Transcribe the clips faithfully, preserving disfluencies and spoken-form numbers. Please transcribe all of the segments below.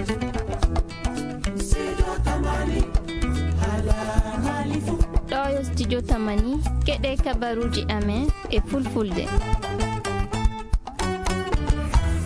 Ɗo yo Studio Tamani, keɗe kabaruuji amen e Fulfulde.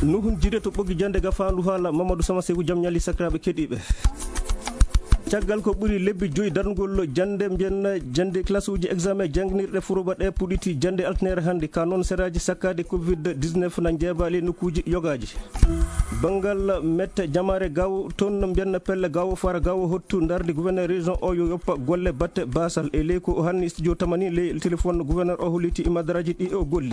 Nuhun jire to ɓoggi jannde gafaandu haala Mamadou Sama Seku, jam ñalli sakiraaɓe keɗiiɓe. Caggal ko ɓuri lebbi joyi darnugol jannde, mbiyen jannde classe uji examen jannginirɗe furoba ɗe puɗɗiti jannde altinere hannde, ka noon seraaji sakkaade covid dix-neuf na njeeba ley nokkuuji yogaaji. Banngal mette jamaare Gaawo toon, mbiyen pelle Gaawo Fara Gaawo Hottu ndardi gouverneur région o yo yoppa golle batte baasal. E ley ko o hanni studio Tamani ley téléphone, gouverneur o holliti e madaraaji ɗi o golli.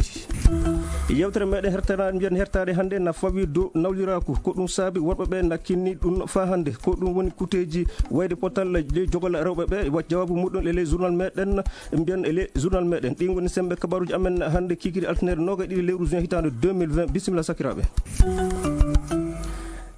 Yewtere meɗen hertanaade, mbiyen hertaade hannde na fawi dow nawliraaku. Ko ɗum saabi worɓe ɓe na kinni ɗum faa hannde. Ko ɗum woni kuteeji wayde potal ley jogal rewɓe ɓe, wa jawaabu muɗum e ley journal meɗen. Mbiyen e ley journal meɗen. Ɗin ngoni semmbe kabaruuji amen hannde, kiikiiɗe altinere noogaɗiɗi lewru juin hitaande deux mille vingt. Bisimilla sakiraaɓe.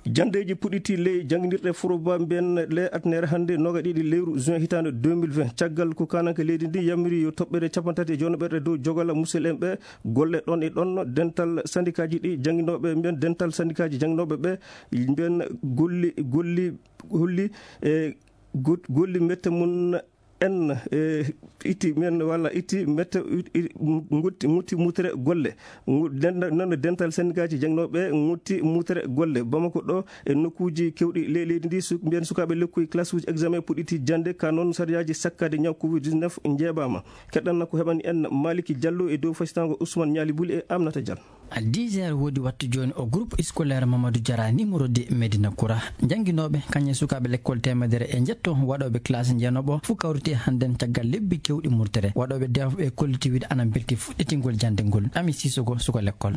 Janndeeji puɗɗiti ley jannginirɗe furoba, mbiyen ley altinere hannde noogaɗiɗi lewru juin hitaande deux mille vingt. Caggal ko kaananke leydi ndi yamiri yo toɓɓere cappanɗe tati e joweɗiɗi dow jogal musidɓe en ɓe, golle ɗon e ɗon, dental sandikaaji ɗi jannginooɓe, mbiyen dental sandikaaji jannginooɓe ɓe, mbiyen golli, golli, golli e go-, golli mette mum en, e, itti men walla itti mette, i-, i-, ngutti, ngutti mutere golle. Ngu-, denda-, noon dental sendikaaji jannginooɓe ngutti mutere golle. Bamako ɗo e nokkuuji keewɗi ley leydi ndi, su-, mbiyen sukaaɓe lekkoy classe uji examen puɗɗiti jannde, ka noon sariyaaji sakkaade ñaw covid dix-neuf njeebaama. Keɗɗan ko heɓani en Maliki Diallo e dow fasitango Ousmane Ñaali Buli e Aminata Diallo. À dix heures woodi wattu jooni o groupe scolaire Mamadou Diarra numéro deux Médina Koura. Jannginooɓe, kañum e sukaaɓe lekkol teemedere e njetto waɗooɓe classe jeenooɓo fof kawriti hannden caggal lebbi keewɗi murtere. Waɗooɓe deefa ɓe kolliti wiide ana mbelti fuɗɗitingol jannde ngol. Ami Sissoko, suka lekkol.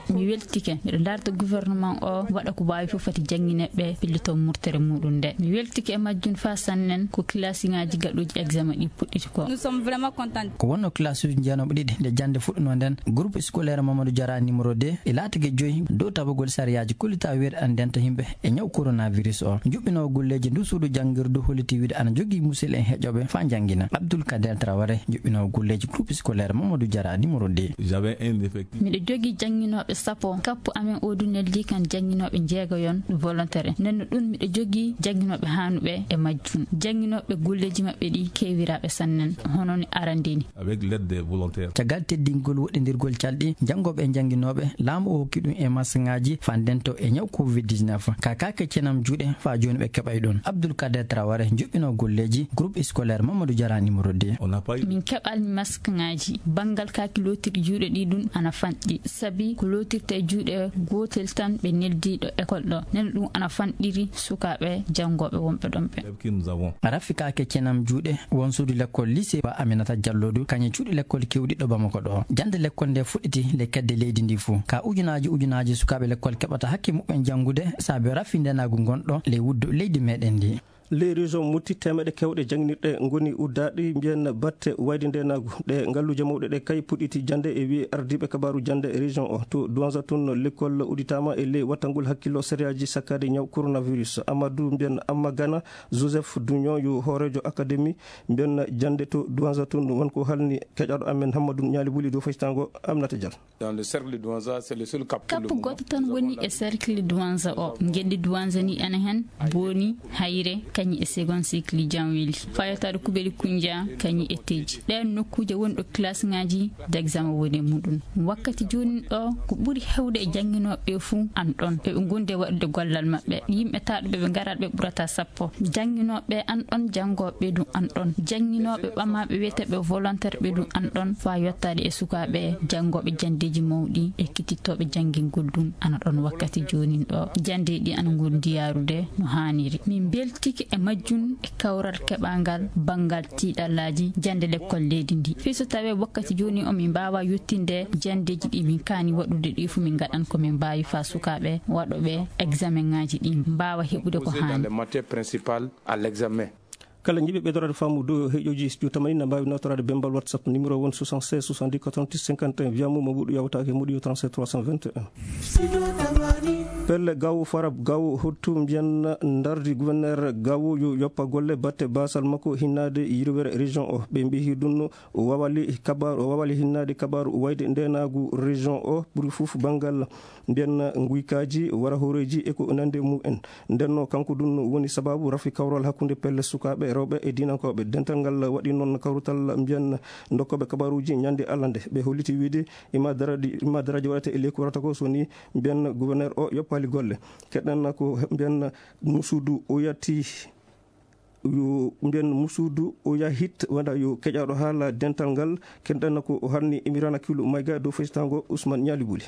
Mi weltike. Miɗo darta gouvernement o waɗa ko waawi fof fati janngine ɓe pillito murtere muɗum nde. Mi weltike e majjum faa sannen ko classe ŋaaji gaɗuuji examen ɗi puɗɗiti ko. Nous sommes vraiment contents. Ko wonno classe uji jeenooɓe ɗiɗi nde jannde fuɗɗunoo nden, groupe scolaire Mamadou Diarra numéro deux e laatike joyi dow tabagol sariyaaji kollitaa wiide ana ndenta yimɓe e ñaw coronavirus o. Juɓɓinoowo golleeji ndu suudu janngirdu holliti wiide ana jogii musidɓe en heƴooɓe faa janngina. Abdoul Kader Traoré, juɓɓinoowo golleeji groupe scolaire Mamadou Diarra numéro deux. J'avais un effectif. Miɗo jogii jannginooɓe sappo. Kappu amen o du neldi kan jannginooɓe njeegayon volontaire. Nenno ɗum miɗo jogii jannginooɓe haanuɓe e majjum. Jannginooɓe golleeji maɓɓe ɗi keewiraaɓe sannen, hono ni arandini. Avec l'aide des volontaires. Caggal teddingol woɗɗindirgol calɗi, janngooɓe e jannginooɓe, laamu o hokki ɗum e masŋaaji faa ndento e ñaw covid dix-neuf. Ka kaake cenam juuɗe faa jooni ɓe keɓay ɗum. Abdoul Kader Traoré, juɓɓinoo golleeji groupe scolaire Mamadou Diarra numéro deux. On n'a pas eu. Min keɓal masŋaaji. Banngal kaaki lootirɗi juuɗe ɗi ɗum ana fanɗi. Sabi ko lootirte e juuɗe gootel tan ɓe neldi ɗo école ɗo. Nen ɗum ana fanɗiri sukaaɓe janngooɓe wonɓe ɗon ɓe. Élèves que nous avons. Rafi kaake cenam juuɗe won suudu lekkol lycée Ba Aminata Diallo du, kañum cuuɗi lekkol keewɗi ɗo Bamako ɗo. Jannde lekkol nde fuɗɗiti le kedde leydi ndi fuu. Ka ujunaaji ujunaaji sukaaɓe lekkol keɓata hakke muɓɓen janngude saabe rafi ndenaagu ngonɗo ley wuddu leydi meɗen ndi. Ley région Mopti, teemeɗe keewɗe jannginirɗe ngoni uddaaɗi, mbiyen batte wayde ndeenaagu. Ɗe ngalluuje mawɗe ɗe kay puɗɗiti jannde e wi'i ardiiɓe kabaaru jannde région o. To Douanza tun, lekkol udditaama e ley wattangol hakkillo sariyaaji sakkaade ñaw coronavirus. Amadou mbiyen Amma Gana, Joseph Dugnon yo hooreejo académie mbiyen jannde to Douanza tun, won ko halni keƴaaɗo amen Hammadou Ñaali Buli dow faytango Aminata Diallo. Dans le cercle de Douanza, c'est le seul cap pour le Kappu moment. Gooto tan woni e cercle Douanza o. Ngenndi Douanza ni ene hen, Boni, Hayre, kañum e second cycle Janweli. Fayataɗo Kubeli Kunja, kañum e Teji. Ɗeen nokkuuje woni ɗo classe ŋaaji d'examen woni e muɗum. Wakkati jooni ɗo, ko ɓuri hewde e jannginooɓe ɓe fuu an ɗon. Eɓe ngondi e waɗude gollal maɓɓe. Yimɓe taaɗuɓe ɓe ngaraat ɓe ɓurata sappo. Jannginooɓe an ɗon, janngooɓe ɗum an ɗon. Jannginooɓe ɓamaaɓe wiyeteeɓe volontaire ɓe ɗum an ɗon. Faa yottaade e sukaaɓe janngooɓe janndeeji mawɗi, ekkitittooɓe janngingol ɗum ana ɗon wakkati joonin ɗo. Janndeeji ɗi ana ngondi yaarude no haaniri. Min mbeltike e majjum e kawral keɓangal banngal tiiɗallaaji jannde lekkol leydi ndi. Fii so tawee wakkati jooni o min mbaawa yottinde janndeeji ɗi min kaani waɗude ɗi fuu min ngaɗan ko min mbaawi faa sukaaɓe waɗooɓe examen ŋaaji ɗi mbaawa heɓude ko Posé dans haani. Les matières principales à l'examen. Kala jiɗɗo ɓeydoraade faamu dow heƴooji studio Tamani na mbaawi nawtoraade bembal WhatsApp numéro won soixante-seize soixante-dix quatre-vingt-six cinquante et un. Wiya mo Mamadou yawtaake Mamadou yo trente-sept trois cent vingt et un. Pelle Gaawo Farab Gaawo Hottu mbiyan ndardi gouverneur Gaawo yo yoppa golle batte baasal makko hinnaade yirwere région o. Ɓe mbiyi ɗum o wawali kabar, o wawali hinnaade kabaru wayde ndenaagu région o ɓuri fof banngal mbiyan nguykaaji, wara hooreeji e ko nandi e mum en. Nden no kanko ɗum woni sababu rafi kawral hakkunde pelle sukaaɓe rewɓe e diinankooɓe. Dental ngal waɗi noon kawrutal mbiyan ndokkooɓe kabaruuji ñande Allah nde. Ɓe holliti wiide ima daraji, ima daraji waɗata e leydi ko warata ko so ni mbiyan gouverneur o yoppali golle. Keɗen ko mbiyan musudu o yatti, yo mbiyan musudu o yahit wanda yo keƴaɗo haala dental ngal. Keɗen ko harni Emirana Kilu Mayga dow fesitango Ousmane Ñaali Buli.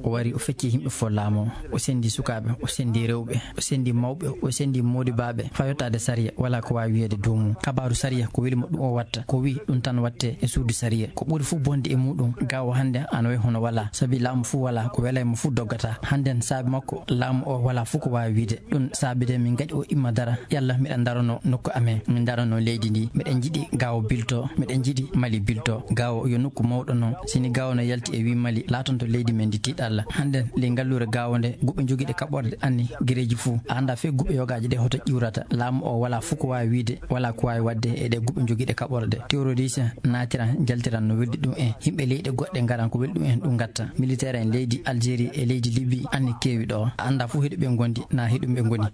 O wari, o fecci yimɓe fof laamu, o senndi sukaaɓe, o senndi rewɓe, o senndi mawɓe, o senndi moodibaaɓe, faa yottaade sariya, walaa ko waawi wiyeede dow mum. Kabaaru sariya, ko weli mo ɗum o watta, ko wi ɗum tan watte e suudu sariya. Ko ɓuri fof bonde e muɗum, Gaawo hannde ana wayi hono walaa, sabi laamu fof walaa, ko welay mo fof doggata. Hannden saabi makko, laamu o walaa fof ko waawi wiide. Ɗum saabi de min ngaɗi o imma dara, yalla miɗen ndarano nokku amen, min ndarano leydi ndi. Miɗen njiɗi Gaawo bilto, miɗen njiɗi Mali bilto. Gaawo yo nokku mawɗo noon. Sini Gaawo no yalti e wi Mali, laatonto leydi men ndi tiiɗalla. Hannden ley ngalluure Gaawo nde, guɓe jogiiɗe kaɓorde anni gereeji fof. A anndaa fey guɓe yogaaji ɗe hoto ƴiwrata. Laamu o walaa fof ko waawi wiide, walaa ko waawi waɗde e ɗe guɓe jogiiɗe kaɓorde. Terroriste naatiran, njaltiran no weldi ɗum en. Yimɓe leyɗe goɗɗe ngaran ko weldi ɗum en, ɗum ngatta. Militaire en leydi Algérie e leydi Libye anni keewi ɗo. A anndaa fof heɗo ɓe ngondi, na heɗo ɓe ngoni.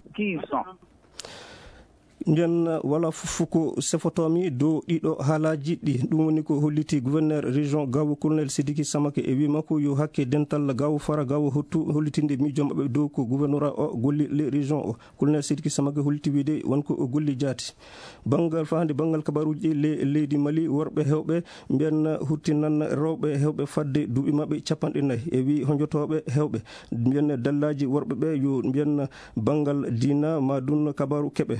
Nden wala fof ko sefotoomi dow ɗiɗo haalaaji ɗi. Ɗum woni ko holliti gouverneur région Gaawo, colonel Sidiki Samake, e wi makko yo hakke dental Gaawo Fara, Gaawo Hottu, hollitinde miijo maɓɓe dow ko gouvernorat o golli les régions o. Colonel Sidiki Samake holliti wiide won ko o golli jaati. Banngal, faa hannde banngal kabaruuji ɗi, le-, leydi Mali, worɓe heewɓe mbiyan hurtinan rewɓe heewɓe fadde duuɓi maɓɓe capanɗe nayi. E wi honjotooɓe heewɓe mbiyan dallaaji worɓe ɓe yo mbiyan banngal diina ma ɗum kabaru keɓe.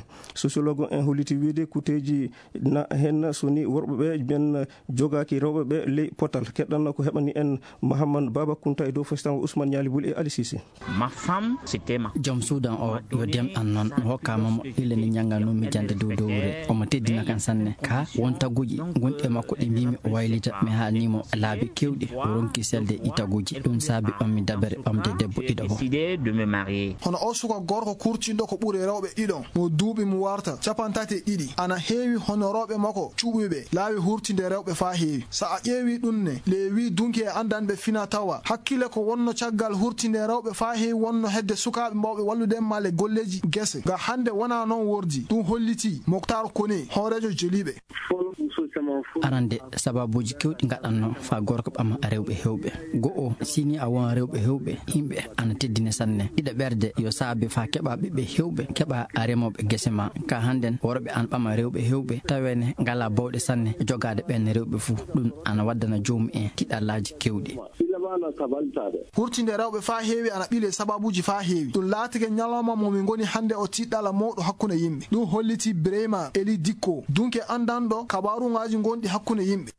Sociologue en holliti wiide kuuteeji na heen so ni worɓe ɓe mbiyan jogaaki rewɓe ɓe ley potal. Keɗɗan ko heɓani en Mahamman Baba Kunta e dow fesitango Ousmane Ñaali Buli e Ali Sisi. Ma femme, c'était ma. Joom suudan o yo demɗan noon, mi hokkaama mo, illa nde njannganoomi jannde dow dowre. Omo teddina kan sanne. Ka won taguuji ngonɗi e makko ɗi mbiimi o waylita. Mi haalnii mo laabi keewɗi, o ronki selde ɗi taguuji. Ɗum saabi ɓammi dabere ɓamde debbo ɗiɗo fof. Décidé de me marier. Hono o suka gorko kurtinɗo ko ɓuri rewɓe ɗiɗon, mo duuɓi mum warta capanɗe tati e ɗiɗi. Ana heewi hono rewɓe makko cuɓuɓe laawi hurtinde rewɓe faa heewi. So a ƴeewi ɗum ne, le wi dunki e anndanɓe fina tawa hakkille ko wonno caggal hurtinde rewɓe faa heewi wonno hedde sukaaɓe mbawɓe wallude ma le golleeji gese. Ga hannde wonaa noon wordi. Ɗum hollitii Moktaar Kone, hooreejo jeliiɓe. Arande, sababuuji keewɗi ngaɗannoo faa gorko ɓama rewɓe heewɓe. Go'o, sini a won rewɓe heewɓe, yimɓe ana teddine sanne. Ɗiɗaɓerde, yo saabe faa keɓa ɓiɓɓe heewɓe, keɓa remooɓe gese ma. Ka hannden, worɓe ana ɓama rewɓe heewɓe, taweene ngalaa bawɗe sanne jogaade ɓeen rewɓe fuu. Ɗum ana waddana joomum en tiɗallaaji keewɗi. Hurtinde rewɓe faa heewi ana ɓile sababuuji faa heewi. Ɗum laatike ñalawma mo min ngoni hannde o tiɗɗalla mawɗo hakkunde yimɓe. Ɗum holliti Bireyma Eli Dikko, dunke anndanɗo kabaruŋaaji ngonɗi hakkunde yimɓe.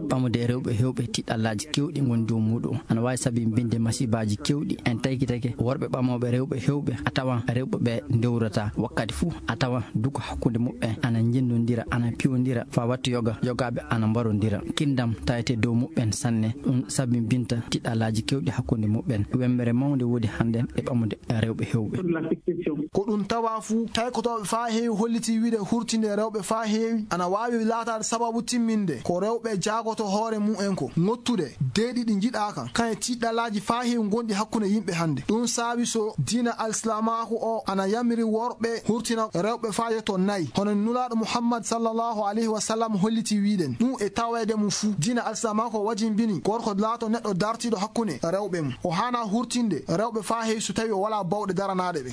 Ɓamude rewɓe heewɓe tiɗɗallaaji keewɗi ngoni dow muuɗum. Ana waawi sabi binde masibaaji keewɗi. En taykitake worɓe ɓamooɓe rewɓe heewɓe, a tawan rewɓe ɓe ndewrata wakkati fuu. A tawan duko hakkunde muɓɓen ana njendondira, ana piwondira, faa watta yoga, yogaaɓe ana mbarondira. Kinndam tawete dow muɓɓen sanne. Ɗum sabinbinta tiɗɗallaaji keewɗi hakkunde muɓɓen. Wemmbere mawnde woodi hannden e ɓamude rewɓe heewɓe. Ko ɗum tawa fuu, taykotooɓe faa heewi hollitii wiide hurtinde rewɓe faa heewi ana waawi laataade sababu timminde ko rewɓe jaagoto hoore mum en ko ŋottude deeɗi ɗi njiɗaaka, kañe tiɗɗallaaji faa heewi ngonɗi hakkunde yimɓe hannde. Ɗum saabi so diina alsilaamaaku o ana yamiri worɓe hurtina rewɓe faa yotto nayi, hono Nulaaɗo Muhammad sallallahu alayhi wa sallam hollitii wiiden ɗum e taweede mum fuu, diina alsilaamaaku o wajinbini gorko laato neɗɗo dartiiɗo hakkunde rewɓe mum. O haanaa hurtinde rewɓe faa heewi so tawii o walaa bawɗe daranaaɗe ɓe.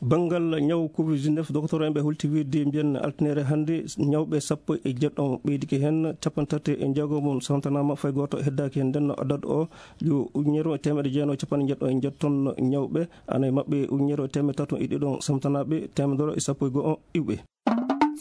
Banngal ñaw covid dix-neuf, doktor en ɓe holti wiide mbiyan altine hannde, ñawɓe sappo e jeɗɗo ɓeydike heen, capanɗe tati e jeego mum santanaama, fay gooto heddaaki heen. Nden no adadu o yo ujunere e teemedde jeenayi e capanɗe jeeɗiɗi e jeeɗiɗi ton ñawɓe, ana e maɓɓe ujunere e teemedde tato e ɗiɗon samtanaaɓe, teemedere e sappo e go'o iwɓe.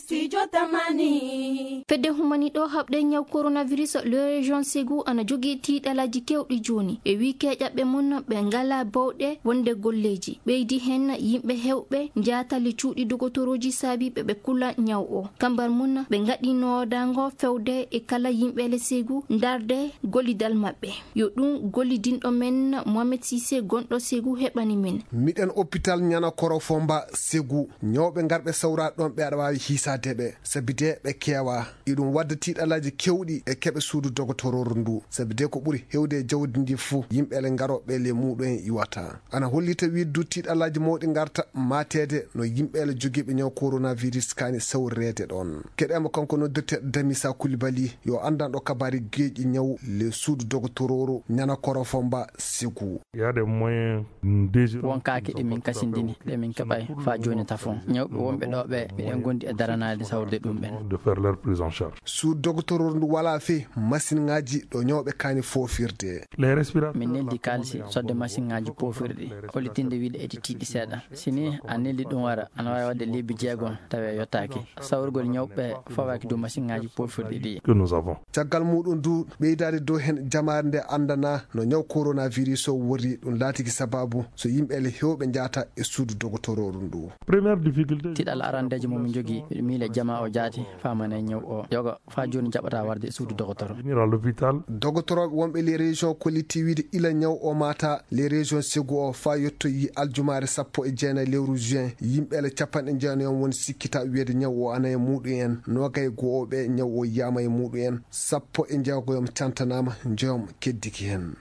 Studio Tamani. Fedde humani ɗo haɓde ñaw coronavirus le région Ségou ana jogii tiiɗalaaji kewɗi jooni. E wii keeƴaɓɓe mum ɓe ngalaa bawɗe wonde golleeji. Ɓeydi heen yimɓe heewɓe njaatali cuuɗi dogotorooji saabiiɓe ɓe kula ñaw o. Kambar mum ɓe ngaɗi noodaango fewde e kala yimɓe le Ségou ndarde gollidal maɓɓe. Yo ɗum gollidinɗo men Mohamed Cissé gonɗo Ségou heɓani men. Miɗen hôpital Nianakorofomba Ségou. Ñawɓe ngarɓe sawra ɗon ɓe aɗa waawi hiisaade ɓe. Sabi de ɓe keewa. Iɗum wadda tiiɗalaaji kewɗi e keɓe suudu dogotorooru ndu. Sabi de ko ɓuri hewde e jawdi ndi fuu, yimɓe le ngarooɓe le muuɗum en iwata. Ana hollita wiide du tiiɗalaaji mawɗi ngarta maateede no yimɓe le jogiiɓe ñaw coronavirus kaani sawreede ɗon. Keɗeemo kanko noddirte Damisa Koulibaly, yo anndanɗo kabaari geeƴi ñaw le suudu dogotorooru Nianakorofomba Ségou. Il y a des moyens déjeuner. Won kaake ɗe min kasindini, ɗe min keɓay faa jooni tafon. Ñawɓe wonɓe ɗo ɓe, miɗen gondi e daranaade sawrude ɗum ɓen. De faire leur prise en charge. Suudu dogotorooru ndu walaa fey masiŋaaji ɗo ñawɓe kaani foofirde. Les respirateurs. Min neldi kaalisi sodde masiŋaaji poofirɗi, hollitinde wiide eɗi tiiɗi seeɗa. Si ni a neldi ɗum wara, ana waawi waɗde lebbi jeegom tawi a yottaaki. Sawrugol ñawɓe fawaaki dow masiŋaaji poofirɗi ɗi. Que nous avons. Caggal muuɗum du, ɓeydaade dow heen jamaare nde anndana no ñaw coronavirus o wori, ɗum laatiki sabaabu so yimɓe le heewɓe njaata e suudu dogotorooru ndu. Première difficulté. Tiiɗal arandeejo mo min njogii, miɗo miila jamaa o jaati faamana e ñaw o. Yoga faa jooni jaɓataa warde e suudu dogotoro. Venir à l'hôpital. Dogotorooɓe wonɓe les régions kolliti wiide ila ñaw o maata les régions Ségou o faa yettoyi aljumaare sappo e jeenayi lewru juin, yimɓe le capanɗe jeenayi woni sikkita wiyeede ñaw o ana e muuɗum en, noogay e go'o ɓe ñaw o yiyaama e muuɗum en, sappo e jeegoyom cantanaama, njoyom keddiki heen.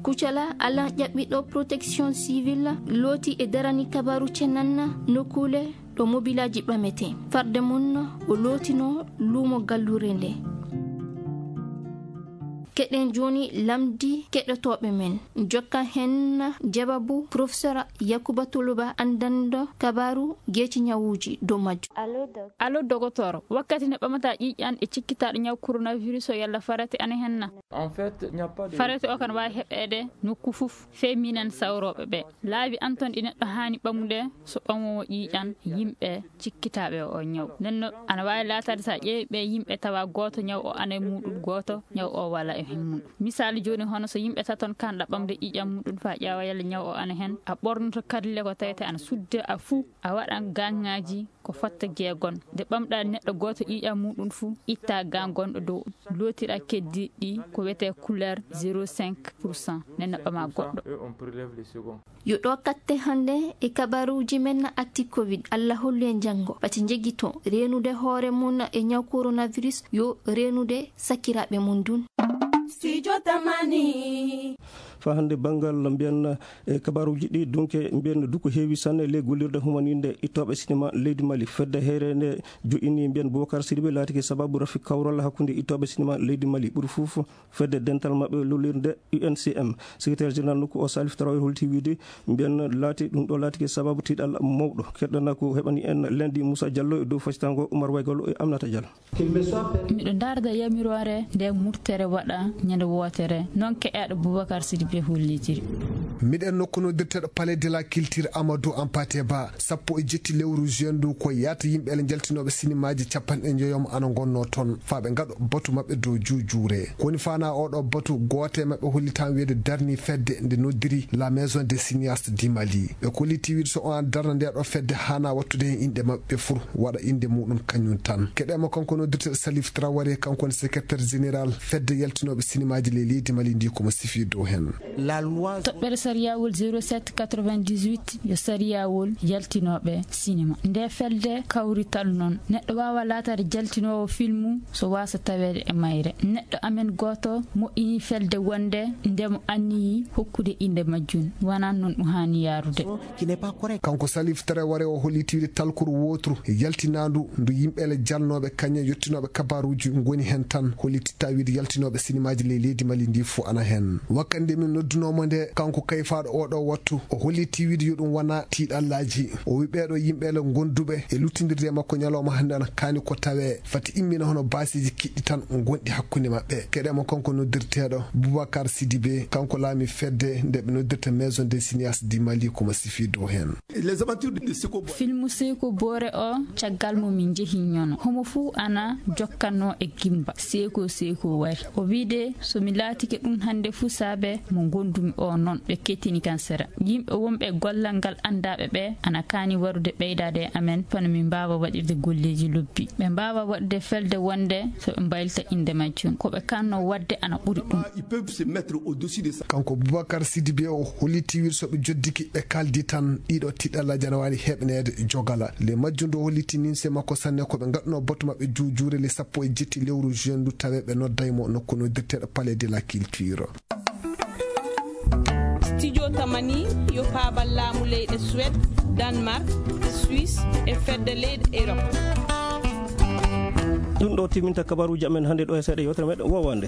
Kucala Alan ƴaɓɓiɗo protection civile looti e darani kabaru cenanna nokkuule ɗo mobilaaji ɓamete. Farde mum o lootino luumo gallure nde. Keɗen jooni lamndi keɗotooɓe men. Jokka heen jawabu Professeur Yakuba Tuluba, anndanɗo kabaru geeci ñawuuji dow majjum. Allo, doc. Allo, dogotoro. Wakkati nde ɓamata ƴiiƴan e cikkitaaɗo ñaw coronavirus o yalla farete ana hen na? En fait, il n'y a pas de. Farete o kan waawi heɓeede nokku fof, fey minen sawrooɓe ɓe. Laabi an ton ɗi neɗɗo haani ɓamude so ɓamoowo ƴiiƴan yimɓe cikkitaaɓe o ñaw. Nden no ana waawi laataade so a ƴeewi ɓe yimɓe tawa gooto ñaw o ana e muuɗum, gooto ñaw o wala e hen mum. Misaalu jooni, hono so yimɓe taton kanɗa ɓamde ƴiiƴan muɗum faa ƴeewa yalla ñaw o ana hen, a ɓornoto karille ko tawete ana sudde a fuu, a waɗan gaŋŋaaji ko fotta jeegon. Nde ɓamɗa neɗɗo gooto ƴiiƴan muɗum fuu, itta gaŋ gonɗo dow, lootira keddiiɗi ɗi ko wiyetee couleur zéro cinq pour cent, nden no ɓama goɗɗo. Yo ɗo katte hannde e kabaruuji men actu covid. Allah hollu en janngo. Pati njegito reenude hoore mum e ñaw coronavirus, yo reenude sakiraaɓe mum dun. Studio Tamani. Faa hannde banngal mbiyen e kabaruuji ɗi, dunke mbiyen du ko heewi sanne ley gollirde humaninde ittooɓe sinema leydi Mali. Fedde heyre nde joƴƴini mbiyen Boubacar Sidibé laatike sababu rafi kawral hakkunde ittooɓe sinema leydi Mali. Ɓuri fof fedde dental maɓɓe lollirde U N C M. Secrétaire général nokku o Salif Traoré holti wiide mbiyen laati ɗum ɗo laatike sababu tiiɗal mawɗo. Keɗɗana ko heɓani en lendi Moussa Diallo e dow fasitango Oumar Waygalo e Aminata Diallo. Miɗo ndaarda yamiroore nde murtere waɗa ñande wootere, noon keƴaaɗo Boubacar Sidibé hollitiri. Miɗen nokku noddirteeɗo Palais de la Culture Amadou Hampâté Bâ, sappo e jetti lewru juin ndu ko yahata yimɓe ele njaltinooɓe sinimaaji capanɗe njoyom ana ngonnoo toon, faa ɓe ngaɗo batu maɓɓe dow juujuure. Ko woni faanaa oo ɗoo batu, gooto e maɓɓe hollitaama wiyeede darnii fedde nde noddiri La Maison des Cinéastes du Mali. Ɓe kolliti wiide so on darna ndee ɗoo fedde haanaa wattude heen inɗe maɓɓe fuu, waɗa innde muuɗum kañum tan. Keɗeemo kanko noddirteeɗo Salif Traoré, kanko woni secrétaire général fedde yaltinooɓe sinimaaji ley leydi Mali ndi, ko mo sifi dow heen. Toɓɓere sariyawol zéro sept quatre-vingt-dix-huit yo sariyawol yaltinooɓe sinima. Nde felde kawrital noon, neɗɗo waawa laataade jaltinoowo filmu so waasa taweede e mayre. Neɗɗo amen gooto moƴƴini felde wonde nde mo anniyi hokkude innde majjum. Wonaa noon ɗum haani yaarude. Kanko Salif Traoré o holliti wiide talkuru wooturu yaltinaandu ndu yimɓe ele jalnooɓe kañum e yottinooɓe kabaruuji ngoni heen tan, holliti tawi wiide yaltinooɓe sinimaaji ley leydi Mali ndi fof ana heen. Wakkati nde min noddunoo mo nde, kanko kay Faaɗo oo ɗoo wattu, o holliti wiide yo ɗum wona tiiɗallaaji. O wi ɓee ɗoo yimɓe le gonduɓe e luttindirde e makko ñalawma hannde ana kaani ko tawee fati immina hono baaseeji kiɗɗi tan ngonɗi hakkunde maɓɓe. Keɗe mo kanko noddirteeɗo Boubacar Sidibé, kanko laami fedde nde ɓe noddirta Maison des Cinéastes du Mali, ko mo sifi dow heen. Filmu Seyko Boore o, caggal mo min njehi ñono, homo fuu ana jokkatnoo e gimba. Seyko, Seyko wari. O wiide, so mi laatike ɗum hannde fuu saabe mo ngondumi o noon, ɓe kettini kan sera. Yimɓe wonɓe e gollal ngal anndaaɓe ɓe ana kaani warude ɓeydaade e amen, kono min mbaawa waɗirde golleeji lobbi. Ɓe mbaawa waɗde felde wonde so ɓe mbaylita innde majjum. Ko ɓe kaanno waɗde ana ɓuri ɗum. Kanko Boubacar Sidibé o holliti wiide so ɓe joddike ɓe kaaldi tan, ɗiɗo tiiɗalla jana waawi heɓneede jogala. Le majjum ndu holliti nimse makko sanne ko ɓe ngaɗno batu maɓɓe juujuure le sappo e jetti lewru juin ndu tawe ɓe nodday mo nokku noddirteeɗo Palais de la Culture. Studio Tamani yo paabal laamu leyɗe Suède, Danemark, Suisse e fedde leyɗe Europe. Ɗum ɗo timinta kabaruuji amen hannde ɗo e seeɗa yewtere meɗen wowande.